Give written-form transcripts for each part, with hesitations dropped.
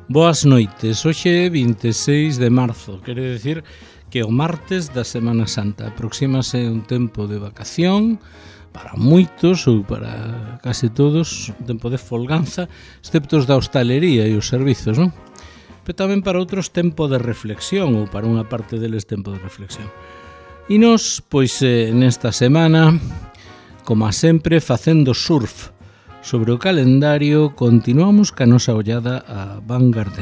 Boas noites, hoxe é 26 de marzo, quere decir que o martes da Semana Santa. Aproxímase un tempo de vacación para moitos ou para case todos, un tempo de folganza, excepto os da hostalería e os servizos, non? Pero tamén para outros tempo de reflexión, ou para unha parte deles tempo de reflexión. E nos, pois, nesta semana, como a sempre, facendo surf sobre o calendario, continuamos ca nosa ollada a Vanguard.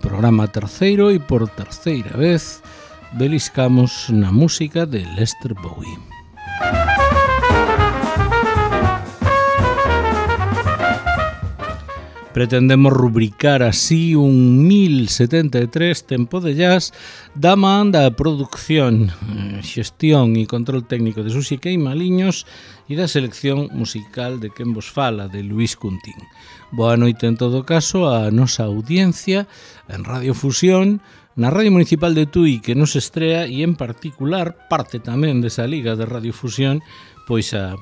Programa terceiro e por terceira vez beliscamos na música de Lester Bowie. Pretendemos rubricar así un 1073 tempo de jazz da man da produción, xestión e control técnico de Susi Queimaliños e da selección musical de quen vos fala, de Luís Cuntín. Boa noite en todo caso a nosa audiencia en Radio Fusión, na Radio Municipal de Tui que nos estrea e en particular parte tamén desa liga de Radio Fusión, pois a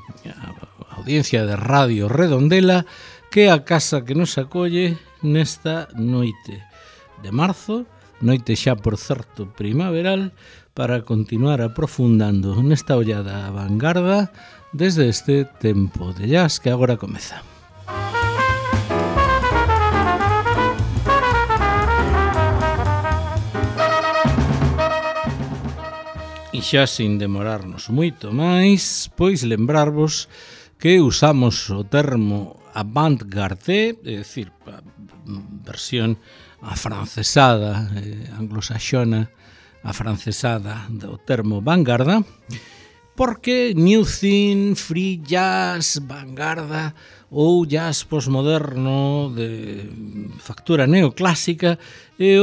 audiencia de Radio Redondela, que é a casa que nos acolle nesta noite de marzo, noite xa por certo primaveral, para continuar aprofundando nesta ollada a vanguarda desde este tempo de jazz que agora comeza. E xa sin demorarnos moito máis, pois lembrarvos que usamos o termo avant-garde, é dicir, a versión afrancesada, anglosaxona, afrancesada do termo vanguarda, porque new thing, free jazz, vanguarda ou jazz postmoderno de factura neoclásica e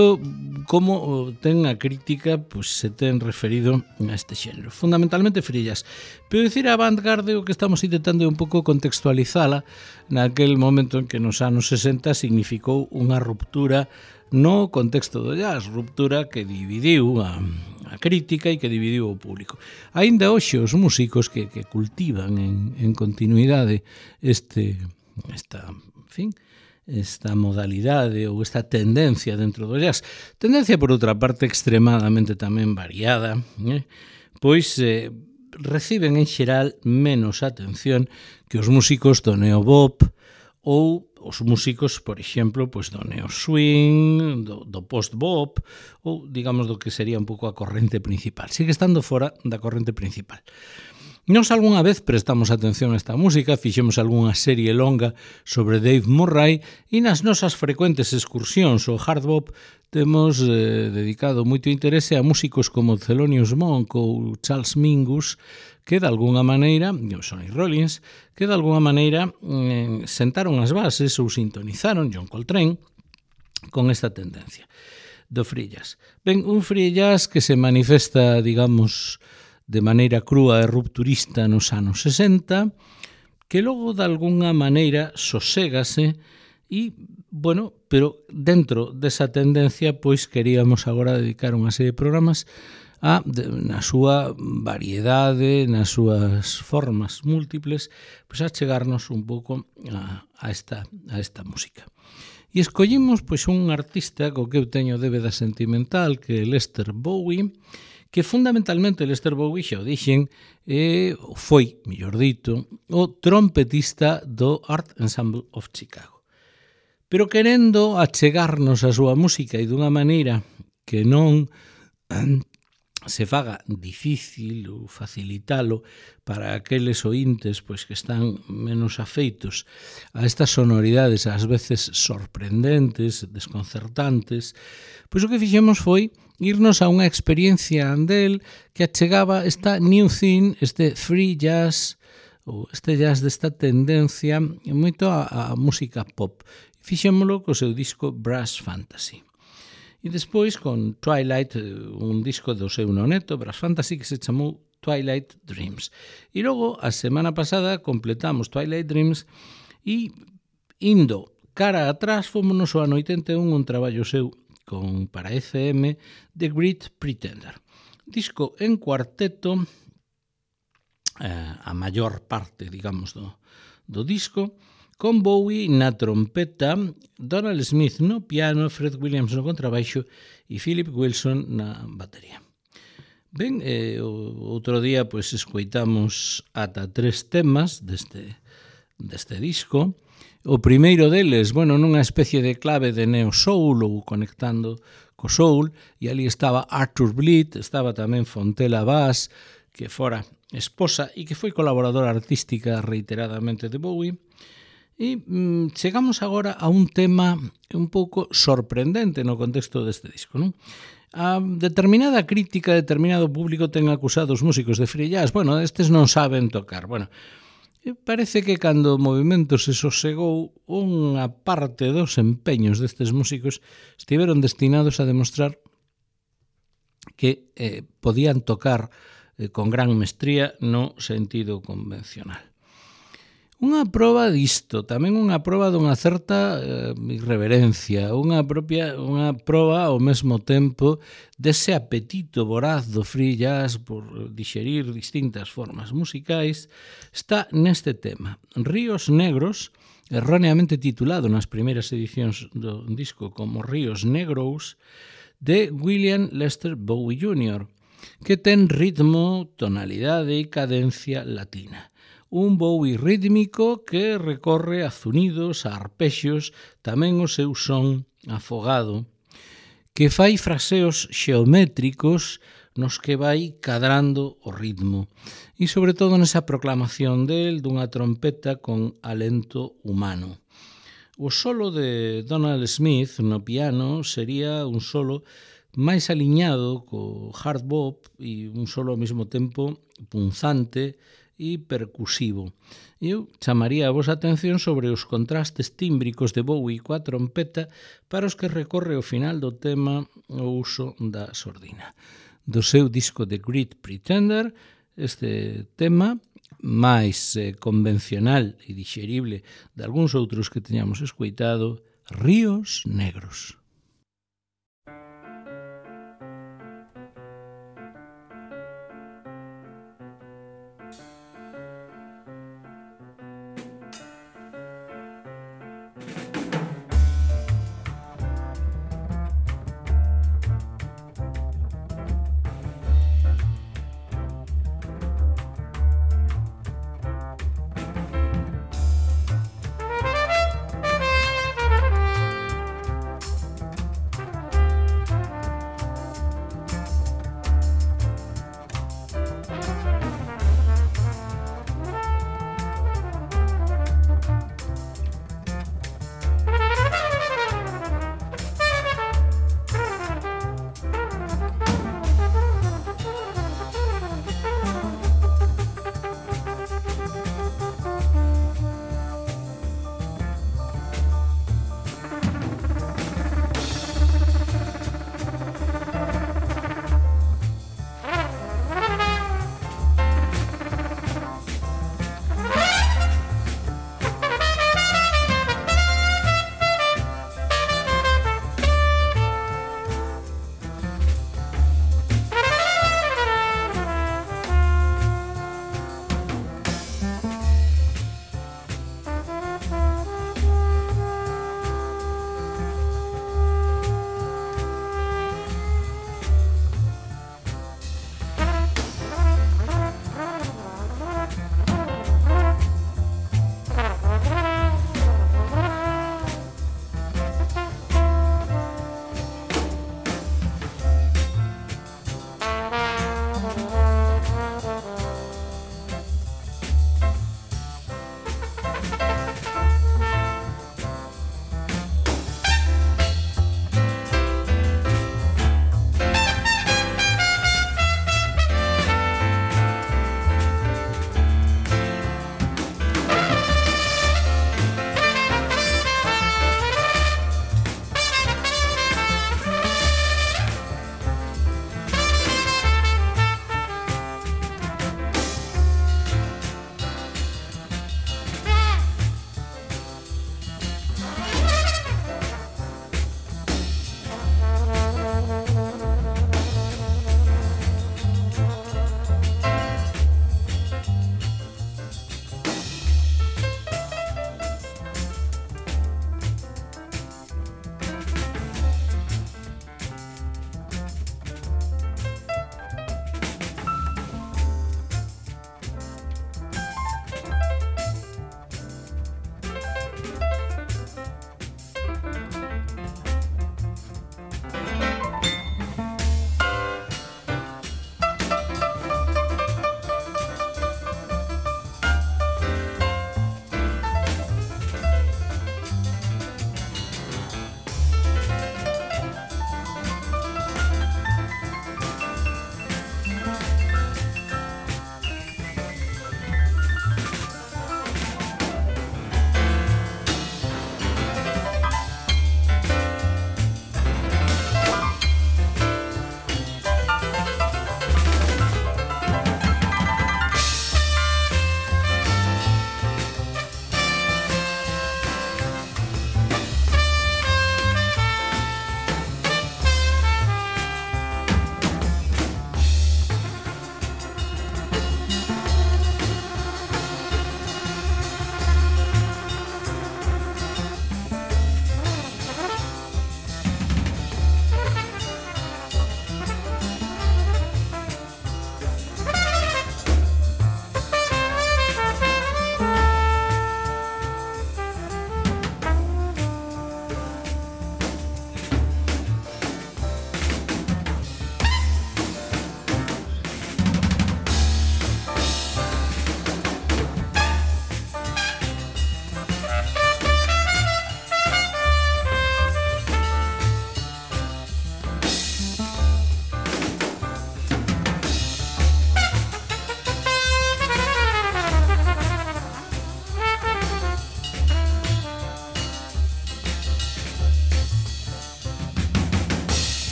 como ten a crítica pois, se ten referido a este xénero. Fundamentalmente free jazz. Pero dicir avant-garde o que estamos intentando é un pouco contextualizala naquel momento en que nos anos 60 significou unha ruptura no contexto do jazz, ruptura que dividiu a crítica e que dividiu o público. Aínda hoxe os músicos que cultivan en continuidade esta modalidade ou esta tendencia dentro do jazz, tendencia por outra parte extremadamente tamén variada, pois reciben en xeral menos atención que os músicos do neobop ou os músicos, por exemplo, pois do neo swing, do post-bop, ou digamos do que sería un pouco a corrente principal. Sigue estando fora da corrente principal. Nos algunha vez prestamos atención a esta música, fixemos algunha serie longa sobre Dave Murray e nas nosas frecuentes excursións ao hard bop temos dedicado moito interese a músicos como Thelonious Monk ou Charles Mingus, que de alguna maneira, Sonny Rollins, que de alguna maneira sentaron as bases ou sintonizaron John Coltrane con esta tendencia do free jazz. Ben, un free jazz que se manifesta, digamos, de maneira crúa e rupturista nos anos 60, que logo de alguna maneira soségase e, bueno, pero dentro desa tendencia, pois queríamos agora dedicar unha serie de programas na súa variedade, nas súas formas múltiples, pois a chegarnos un pouco a esta música. E escollimos pois un artista co que eu teño débeda sentimental, que é Lester Bowie, que fundamentalmente Lester Bowie, xa o dixen, foi, mellor dito, o trompetista do Art Ensemble of Chicago. Pero querendo achegarnos a súa música e dunha maneira que non se faga difícil ou facilitalo para aqueles ointes pois que están menos afeitos a estas sonoridades ás veces sorprendentes, desconcertantes, pois o que fixemos foi irnos a unha experiencia andel que achegaba esta new thing, este free jazz ou este jazz desta tendencia moito a música pop. Fixémolo co seu disco Brass Fantasy. E despois con Twilight, un disco do seu noneto, Brass Fantasy, que se chamou Twilight Dreams. E logo, a semana pasada, completamos Twilight Dreams e indo cara atrás, fomos ao ano 81 un traballo seu para FM, The Great Pretender. Disco en cuarteto, a maior parte, digamos, do disco, con Bowie na trompeta, Donald Smith no piano, Fred Williams no contrabaixo e Philip Wilson na batería. Ben, outro día pois escoitamos ata 3 temas deste disco. O primeiro deles, nunha especie de clave de neo soul ou conectando co soul, e ali estaba Arthur Bleed, estaba tamén Fontella Bass, que fora esposa e que foi colaboradora artística reiteradamente de Bowie. E chegamos agora a un tema un pouco sorprendente no contexto deste disco, non? A determinada crítica, determinado público ten acusado os músicos de free jazz. Estes non saben tocar. Parece que cando o movimento se sosegou, unha parte dos empeños destes músicos estiveron destinados a demostrar que podían tocar con gran mestría no sentido convencional. Unha proba disto, tamén unha proba dunha certa irreverencia, unha proba ao mesmo tempo dese apetito voraz do free jazz por dixerir distintas formas musicais, está neste tema. Ríos Negros, erróneamente titulado nas primeiras edicións do disco como Ríos Negros, de William Lester Bowie Jr., que ten ritmo, tonalidade e cadencia latina. Un Bowie rítmico que recorre a zunidos, a arpexios, tamén o seu son afogado, que fai fraseos xeométricos nos que vai cadrando o ritmo, e sobre todo nesa proclamación del dunha trompeta con alento humano. O solo de Donald Smith no piano sería un solo máis aliñado co hard bop e un solo ao mesmo tempo punzante e percusivo. Eu chamaría a vosa atención sobre os contrastes tímbricos de Bowie coa trompeta para os que recorre ao final do tema o uso da sordina. Do seu disco The Great Pretender, este tema máis convencional e dixerible de algúns outros que teñamos escoitado, Ríos Negros.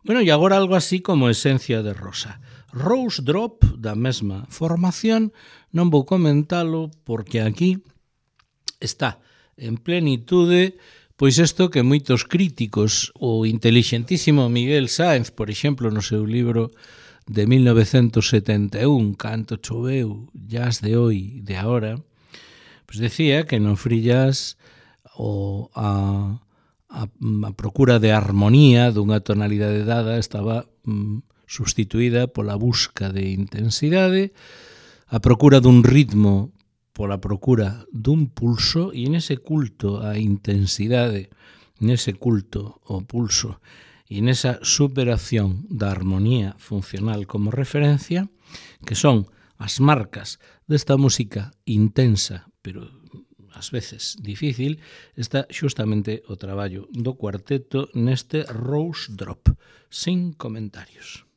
Bueno, e agora algo así como Esencia de Rosa. Rose Drop, da mesma formación, non vou comentalo porque aquí está en plenitude pois isto que moitos críticos, o intelixentísimo Miguel Sáenz, por exemplo, no seu libro de 1971, Canto choveu, jazz de hoy, de ahora, pois decía que no free jazz a procura de armonía dunha tonalidade dada estaba substituída pola busca de intensidade, a procura dun ritmo pola procura dun pulso, e nese culto á intensidade, nese culto ao pulso e nesa superación da armonía funcional como referencia, que son as marcas desta música intensa, pero ás veces difícil, está xustamente o traballo do cuarteto neste Rose Drop, sin comentarios.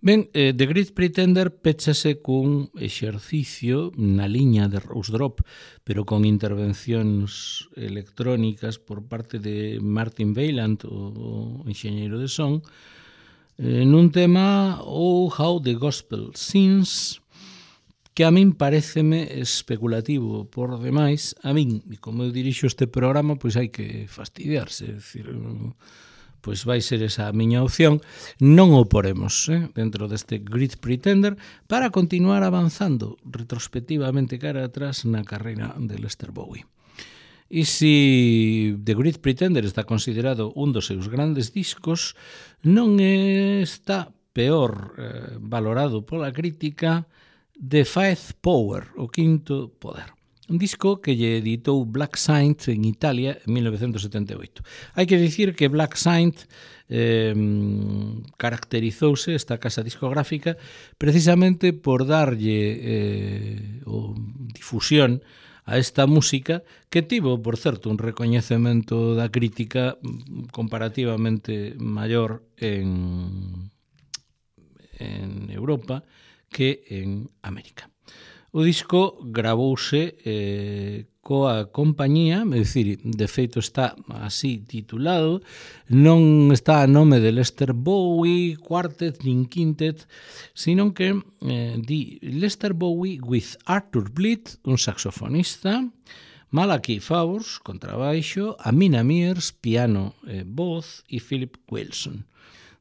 Ben, The Great Pretender péchase cun exercicio na liña de Rose Drop, pero con intervencións electrónicas por parte de Martin Wayland, o enxeñeiro de son, nun tema Oh How the Gospel Sings, que a min pareceme especulativo por demais. A min, e como eu dirixo este programa, pois hai que fastidiarse, é dicir, pois vai ser esa a miña opción. Non o poremos dentro deste Great Pretender para continuar avanzando retrospectivamente cara atrás na carreira de Lester Bowie. E se The Great Pretender está considerado un dos seus grandes discos, non está peor valorado pola crítica The Fifth Power, o quinto poder. Un disco que lle editou Black Saint en Italia en 1978. Hai que dicir que Black Saint caracterizouse, esta casa discográfica, precisamente por darlle difusión a esta música, que tivo, por certo, un recoñecemento da crítica comparativamente maior en Europa que en América. O disco gravouse coa compañía, é dicir, de feito está así titulado, non está a nome de Lester Bowie Quartet nin Quintet, sino que di Lester Bowie with Arthur Bleed, un saxofonista, Malachi Favors, contrabaixo, Amina Mears, piano e voz, e Philip Wilson.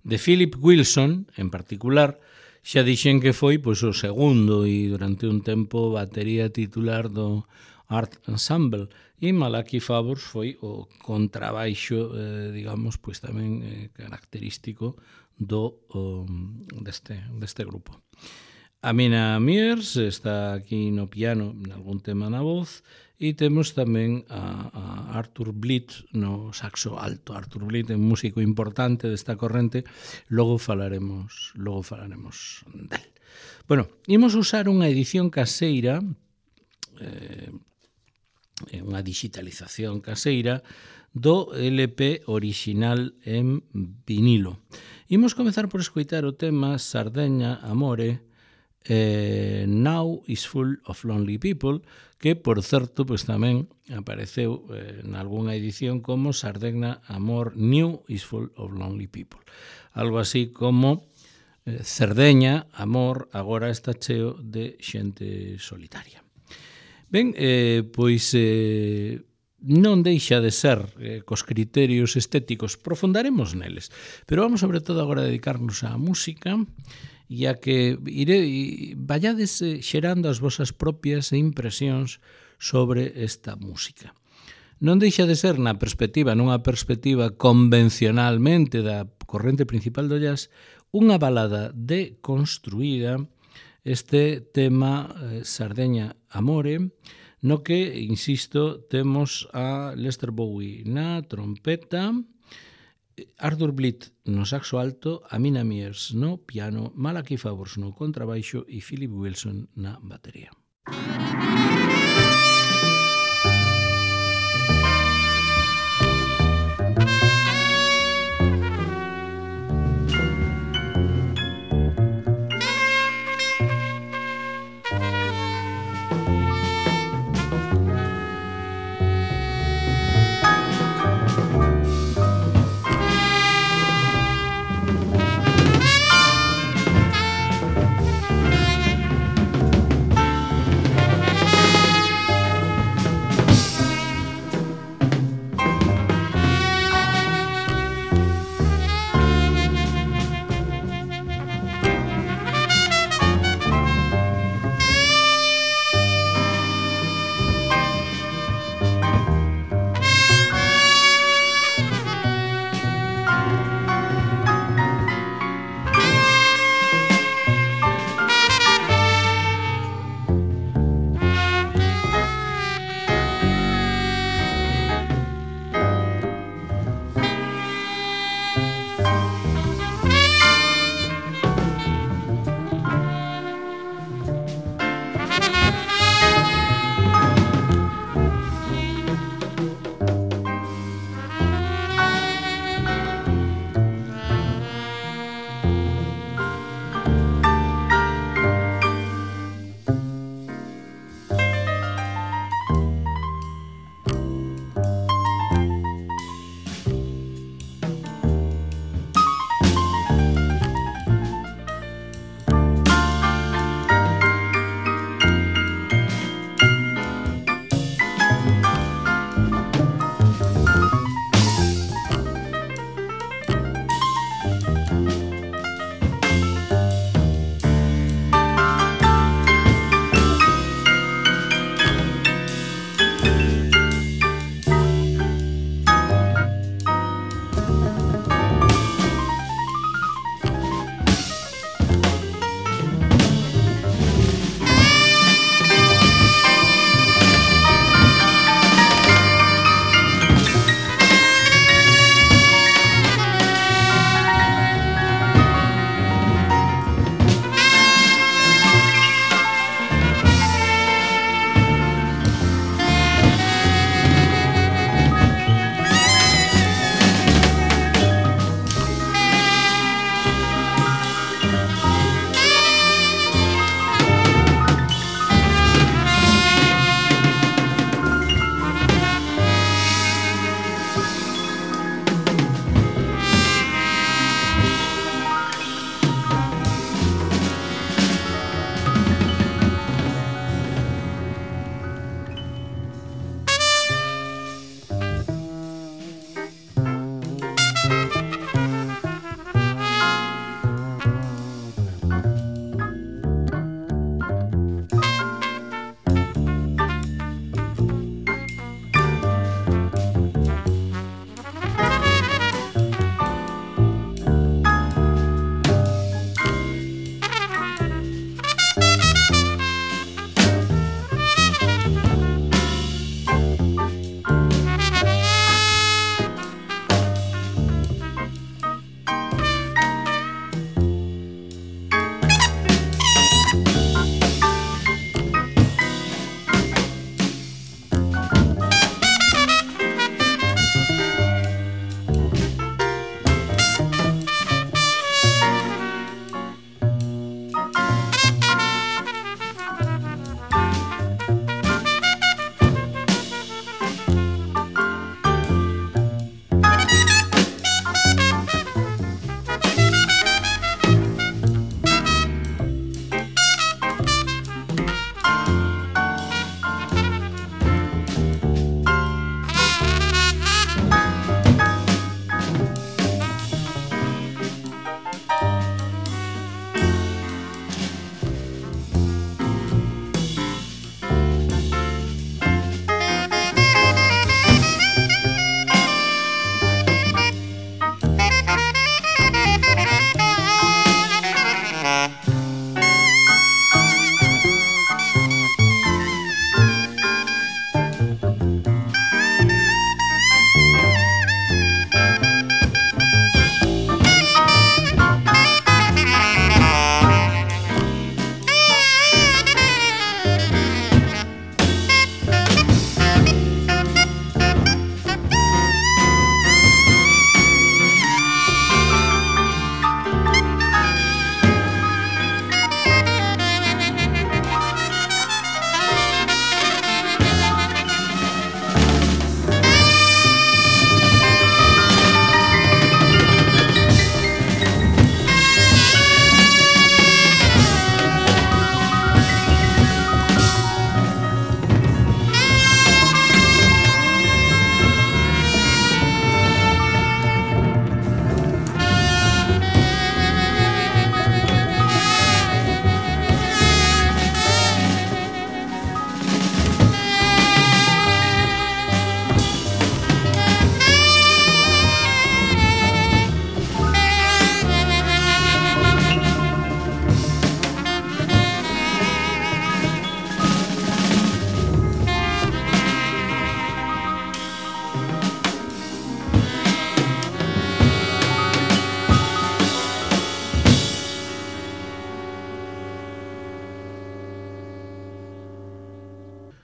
De Philip Wilson, en particular, xa dixen que foi pois o segundo e durante un tempo batería titular do Art Ensemble, e Malachi Favors foi o contrabaixo, digamos, pois tamén característico deste grupo. Amina Mears está aquí no piano, en algún tema na voz, e temos tamén a Arthur Bleed no saxo alto. Arthur Bleed é un músico importante desta corrente, logo falaremos del. Bueno, imos usar unha edición caseira, unha digitalización caseira do LP original en vinilo. Imos comezar por escoitar o tema Sardeña Amore, Now is Full of Lonely People, que, por certo, pois tamén apareceu en algunha edición como Sardeña Amor New is Full of Lonely People. Algo así como Cerdeña Amor agora está cheo de xente solitaria. Ben, pois non deixa de ser cos criterios estéticos, profundaremos neles, pero vamos sobre todo agora a dedicarnos á música, e a que vallades xerando as vosas propias impresións sobre esta música. Non deixa de ser nunha perspectiva convencionalmente da corrente principal do jazz, unha balada deconstruída, este tema Sardeña Amore, no que, insisto, temos a Lester Bowie na trompeta, Arthur Bleed no saxo alto, Amina Mears no piano, Malachi Favors no contrabaixo e Philip Wilson na batería.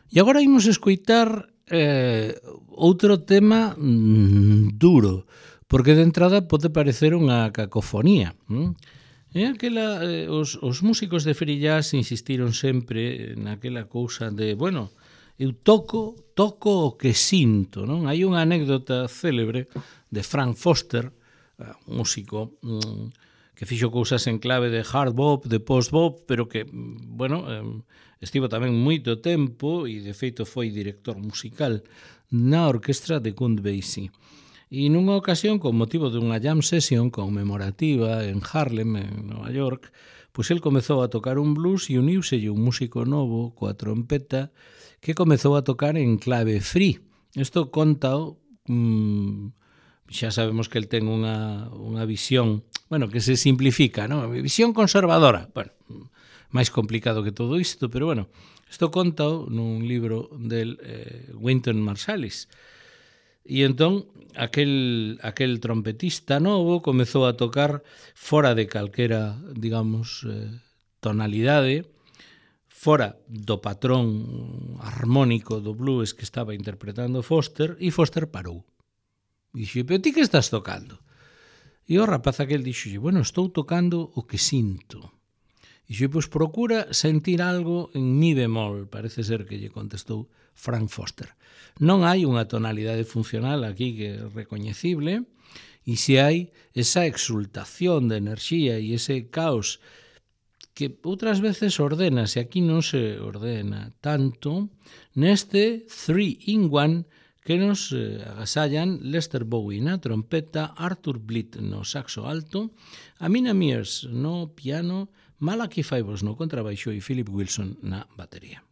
E agora imos escoitar outro tema duro, porque de entrada pode parecer unha cacofonía. Os músicos de free jazz insistiron sempre naquela cousa de, bueno, eu toco o que sinto, non? Hai unha anécdota célebre de Frank Foster, un músico que fixo cousas en clave de hard bop, de post bop, pero que, bueno, estivo tamén moito tempo e de feito foi director musical na orquestra de Count Basie. E nunha ocasión, con motivo dunha jam session conmemorativa en Harlem, en Nova York, pois el comezou a tocar un blues e uniuselle un músico novo coa trompeta que comezou a tocar en clave free. Isto contao, xa sabemos que el ten unha visión, bueno, que se simplifica, non? Visión conservadora. Bueno, máis complicado que todo isto, pero bueno, isto contao nun libro del Wynton Marsalis. E entón, aquel trompetista novo comezou a tocar fora de calquera, digamos, tonalidade, fora do patrón armónico do blues que estaba interpretando Foster, e Foster parou. Dixo, pero ti que estás tocando? E o rapaz aquel dixo, bueno, estou tocando o que sinto. Dixo, pois procura sentir algo en mi bemol, parece ser que lle contestou Frank Foster. Non hai unha tonalidade funcional aquí que é recoñecible, e se hai esa exultación de enerxía e ese caos que outras veces ordena, se aquí non se ordena tanto, neste 3-in-1 que nos agasallan Lester Bowie na trompeta, Arthur Blitt no saxo alto, Amina Mears no piano, Malachi Faivos no contrabaixo e Philip Wilson na batería.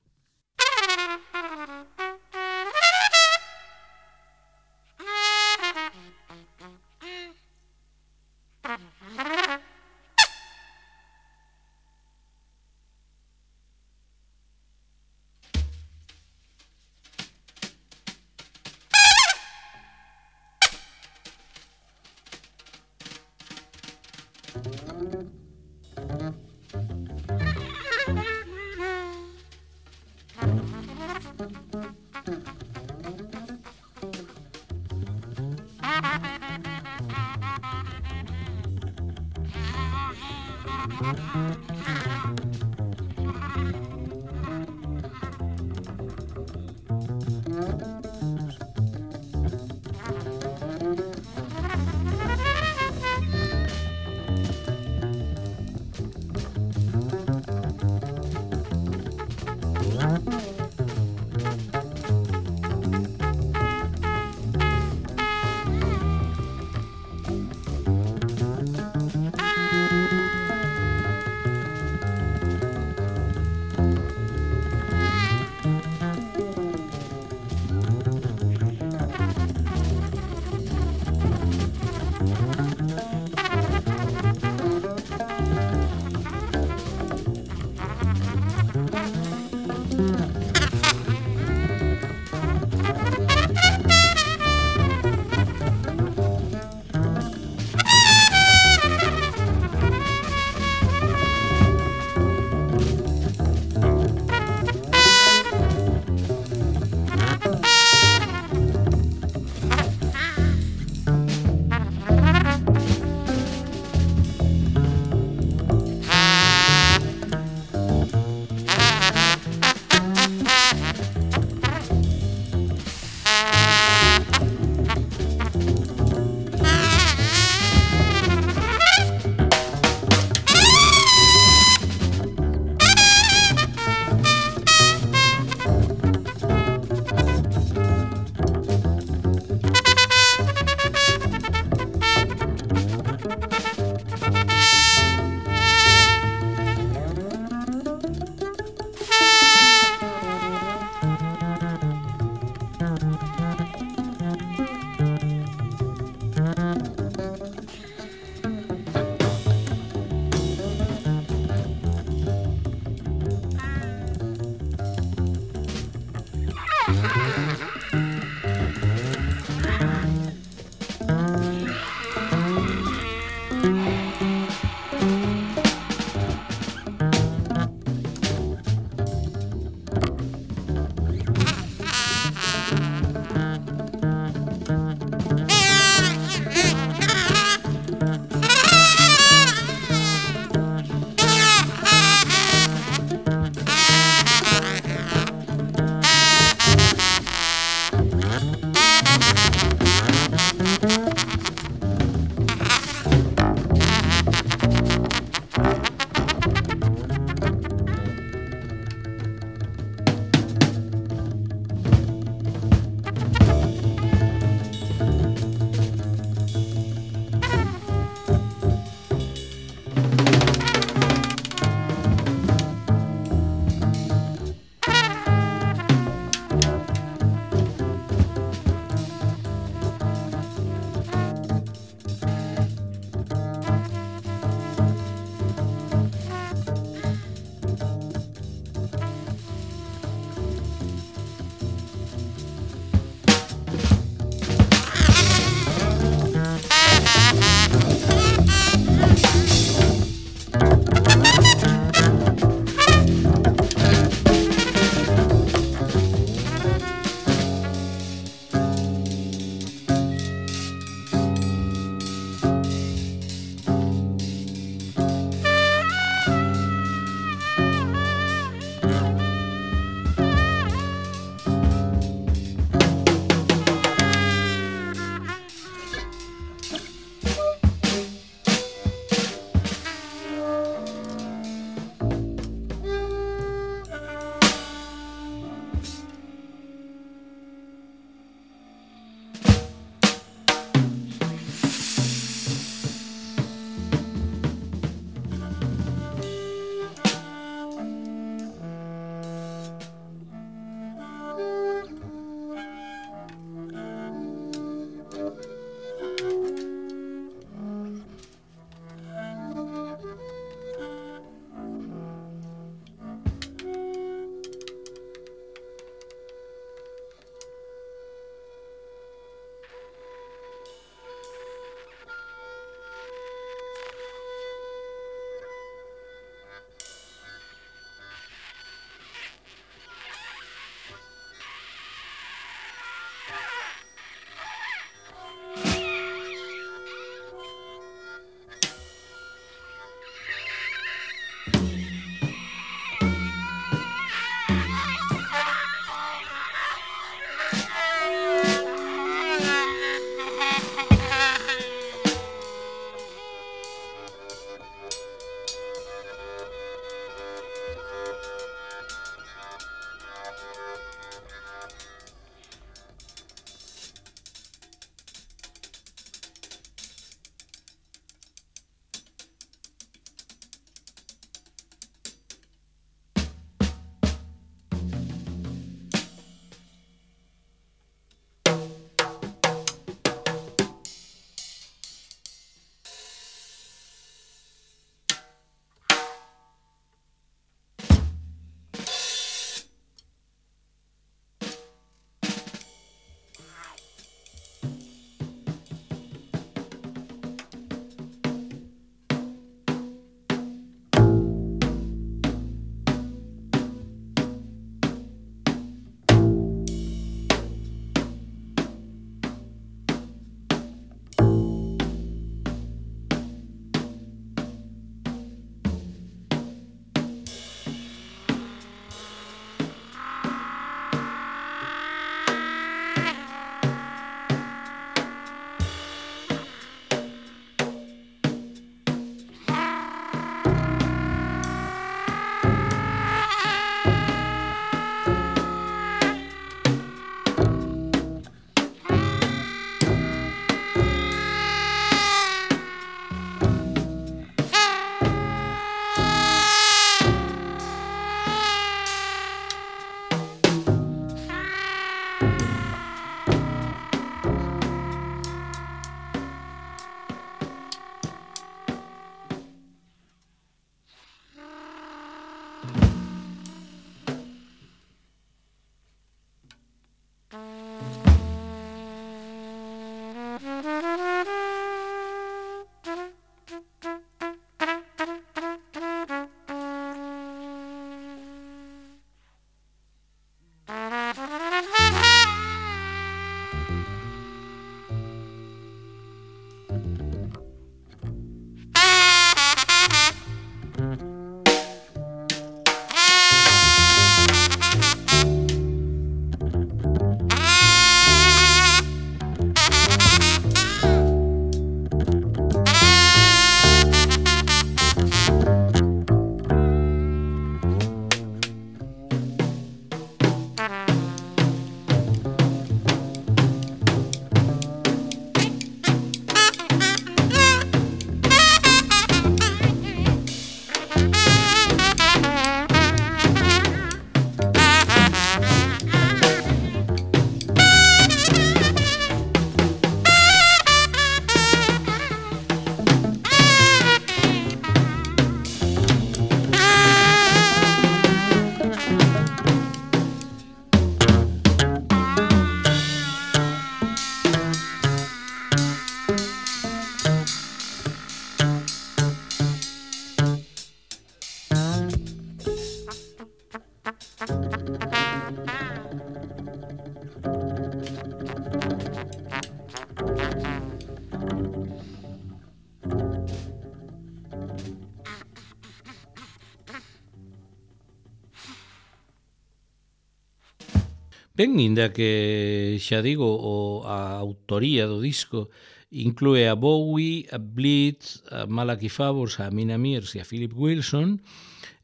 Ben, inda que xa digo, a autoría do disco inclúe a Bowie, a Blitz, a Malachi Favors, a Mina Mears e a Philip Wilson,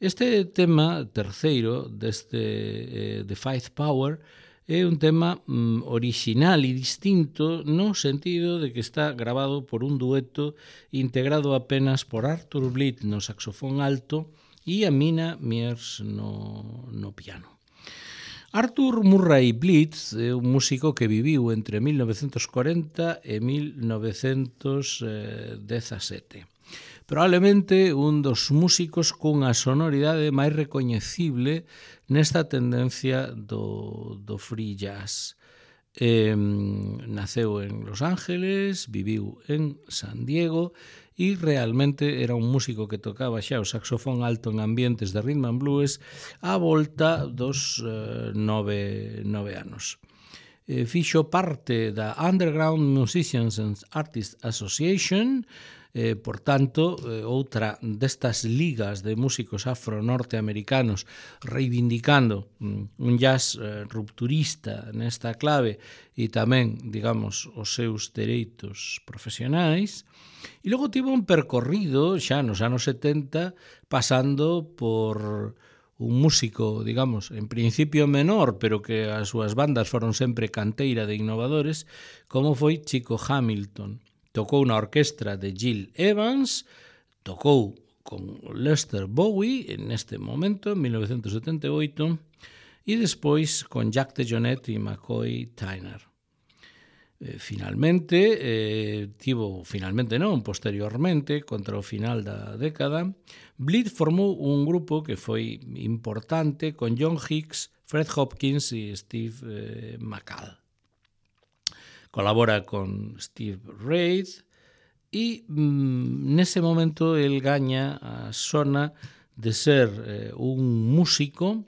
este tema terceiro deste The Five Power é un tema orixinal e distinto no sentido de que está grabado por un dueto integrado apenas por Arthur Blitz no saxofón alto e a Mina Mears no piano. Arthur Murray Blitz é un músico que viviu entre 1940 e 1917. Probablemente un dos músicos cunha sonoridade máis recoñecible nesta tendencia do free jazz. Naceu en Los Ángeles, viviu en San Diego e realmente era un músico que tocaba xa o saxofón alto en ambientes de rhythm and blues á volta dos 9 anos. Fixo parte da Underground Musicians and Artists Association, por tanto, outra destas ligas de músicos afro-norteamericanos reivindicando un jazz rupturista nesta clave e tamén, digamos, os seus dereitos profesionais. E logo tivo un percorrido xa nos anos 70 pasando por un músico, digamos, en principio menor, pero que as súas bandas foron sempre canteira de innovadores, como foi Chico Hamilton. Tocou na orquestra de Gil Evans, tocou con Lester Bowie neste momento, en 1978, e despois con Jack DeJohnette e McCoy Tyner. Posteriormente, contra o final da década, Blitz formou un grupo que foi importante con John Hicks, Fred Hopkins e Steve McCall. Colabora con Steve Reid e nese momento el gaña a sona de ser un músico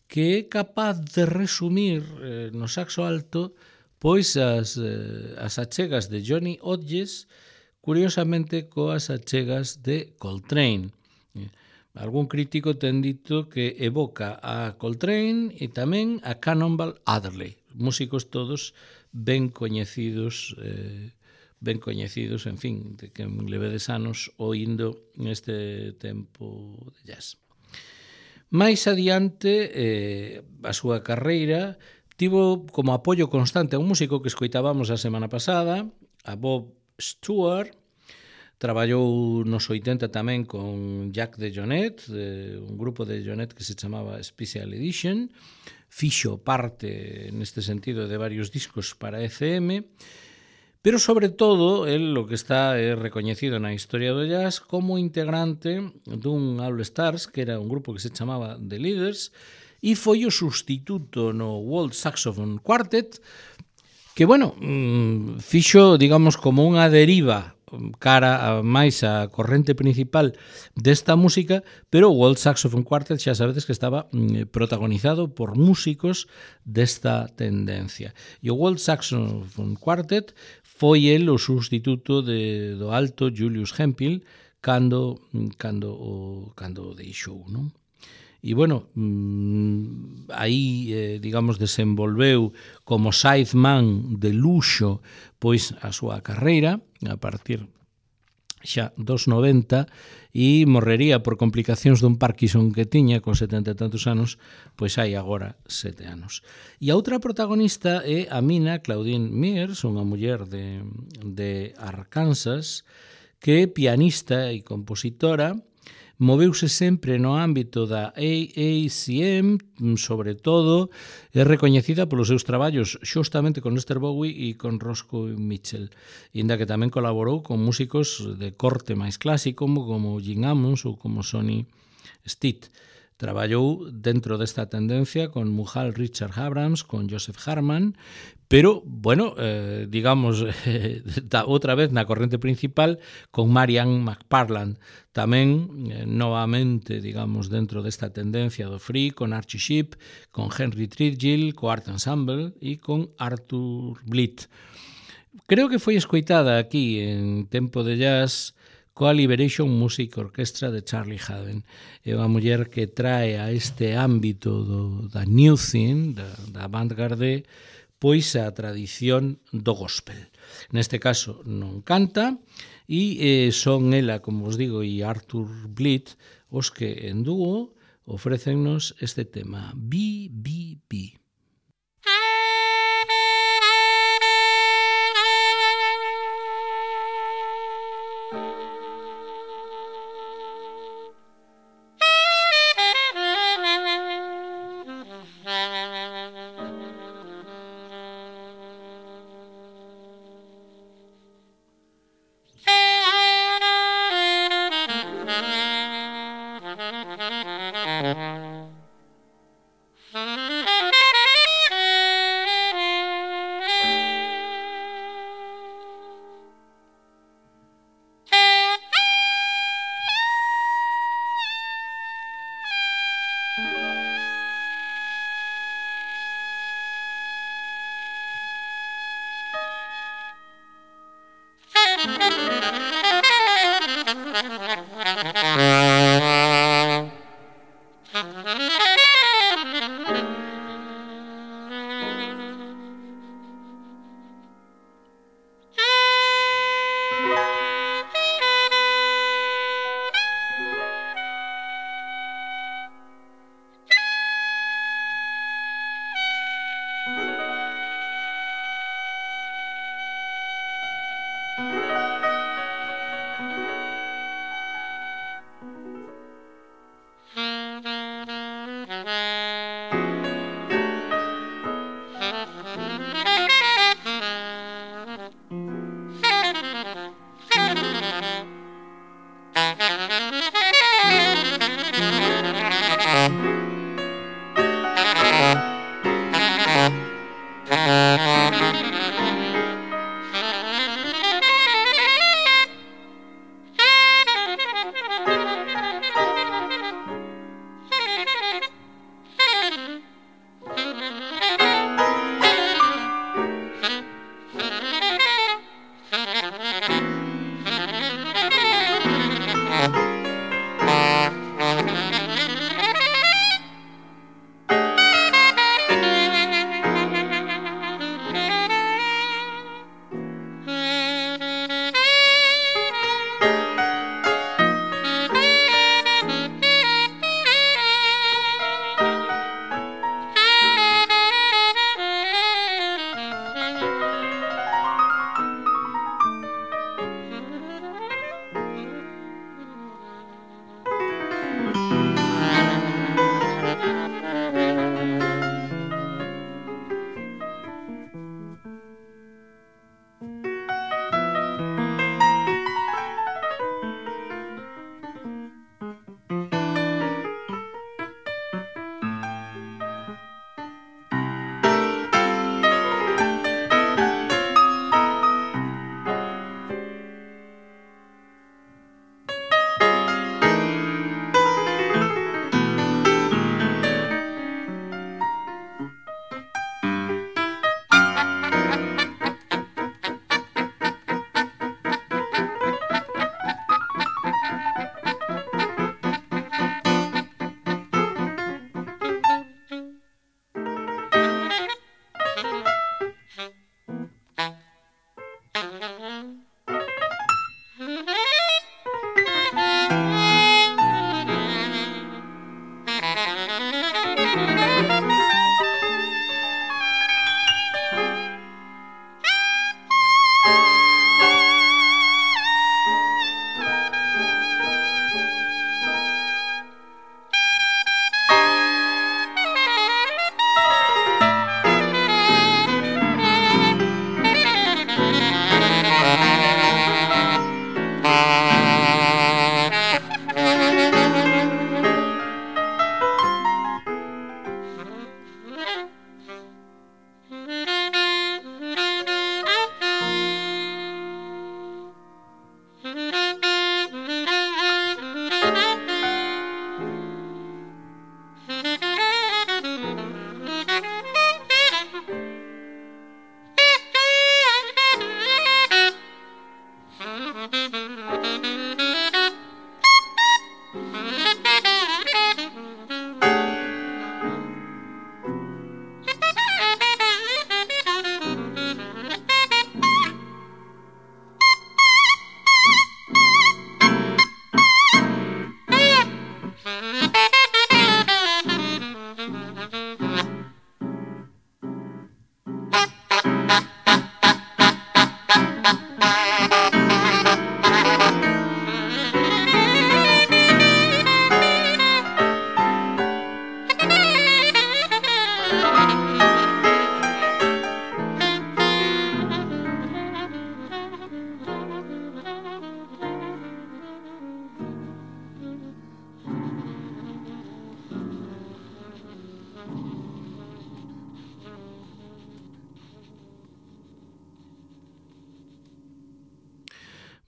que é capaz de resumir no saxo alto pois as achegas de Johnny Hodges, curiosamente coas achegas de Coltrane. Algún crítico ten dito que evoca a Coltrane e tamén a Cannonball Adderley, músicos todos ben coñecidos, en fin, de que levedes anos oindo neste tempo de jazz. Mais adiante, a súa carreira tivo como apoio constante a un músico que escoitábamos a semana pasada, a Bob Stewart. Traballou nos 80 tamén con Jack DeJohnette, un grupo de DeJohnette que se chamaba Special Edition. Fixo parte, neste sentido, de varios discos para ECM, pero sobre todo, el lo que está recoñecido na historia do jazz como integrante dun All Stars, que era un grupo que se chamaba The Leaders, e foi o sustituto no World Saxophone Quartet, que, bueno, fixo, digamos, como unha deriva cara a máis a corrente principal desta música, pero o World Saxophone Quartet xa sabedes que estaba protagonizado por músicos desta tendencia. E o World Saxophone Quartet foi el o sustituto do alto Julius Hemphill cando o deixou, non? E, bueno, aí, digamos, desenvolveu como sideman de luxo pois a súa carreira a partir xa dos 90 e morrería por complicacións dun Parkinson que tiña con 70 e tantos anos, pois hai agora 7 anos. E a outra protagonista é a mina Claudine Mears, unha muller de Arkansas, que é pianista e compositora. Moveuse sempre no ámbito da AACM, sobre todo, é recoñecida polos seus traballos xustamente con Lester Bowie e con Roscoe Mitchell, inda que tamén colaborou con músicos de corte máis clásico como Gene Ammons ou como Sonny Stitt. Traballou dentro desta tendencia con Muhal Richard Abrams, con Joseph Harman, pero, bueno, digamos, outra vez na corrente principal con Marianne McParland, tamén novamente, digamos, dentro desta tendencia do free, con Archie Shepp, con Henry Threadgill, co Art Ensemble e con Arthur Blitt. Creo que foi escoitada aquí en Tempo de Jazz coa Liberation Music Orchestra de Charlie Haden. É unha muller que trae a este ámbito da New Thing, da avant-garde, pois a tradición do gospel. Neste caso non canta e son ela, como vos digo, e Arthur Blitt os que en dúo ofrécennos este tema, BBB.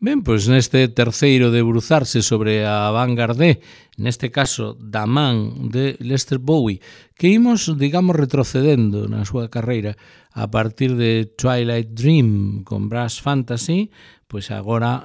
Ben, pois neste terceiro debruzarse sobre a vanguardé, neste caso da man de Lester Bowie, que imos, digamos, retrocedendo na súa carreira a partir de Twilight Dream con Brass Fantasy, pois agora,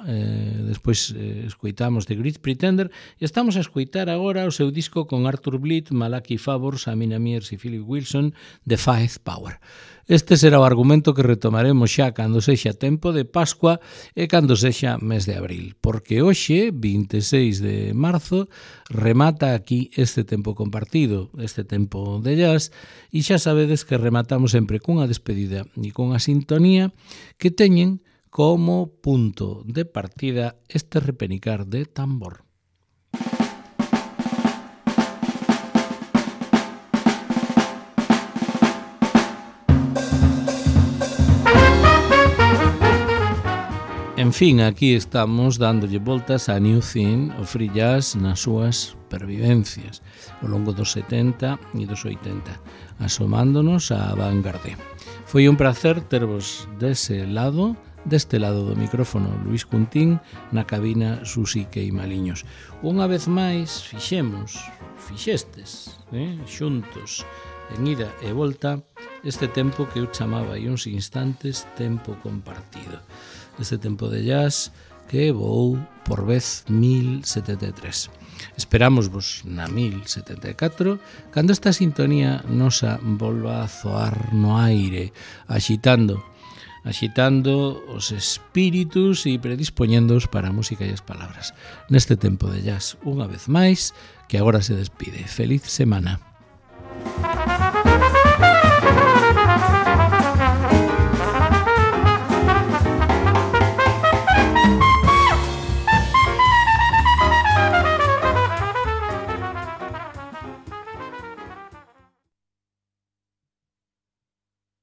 despois escoitamos The Great Pretender, e estamos a escoitar agora o seu disco con Arthur Blyth, Malachi Favors, Amina Mears e Philip Wilson, The Firepower. Este será o argumento que retomaremos xa cando sexa tempo de Pascua e cando sexa mes de abril, porque hoxe, 26 de marzo, remata aquí este tempo compartido, este tempo de jazz, e xa sabedes que rematamos sempre cunha despedida e cunha sintonía que teñen como punto de partida este repenicar de tambor. En fin, aquí estamos dándolle voltas a New Thing, o free jazz nas súas pervivencias ao longo dos 70 e dos 80, asomándonos á vanguardia. Foi un placer tervos deste lado do micrófono Luis Cuntín, na cabina Susi Queimaliños. Unha vez máis fixestes, xuntos, en ida e volta, este tempo que eu chamaba hai uns instantes tempo compartido. Este tempo de jazz que voou por vez 1073. Esperámosvos na 1074, cando esta sintonía nosa volva a zoar no aire, axitando os espíritus e predispoñéndoos para a música e as palabras. Neste tempo de jazz, unha vez máis, que agora se despide. Feliz semana.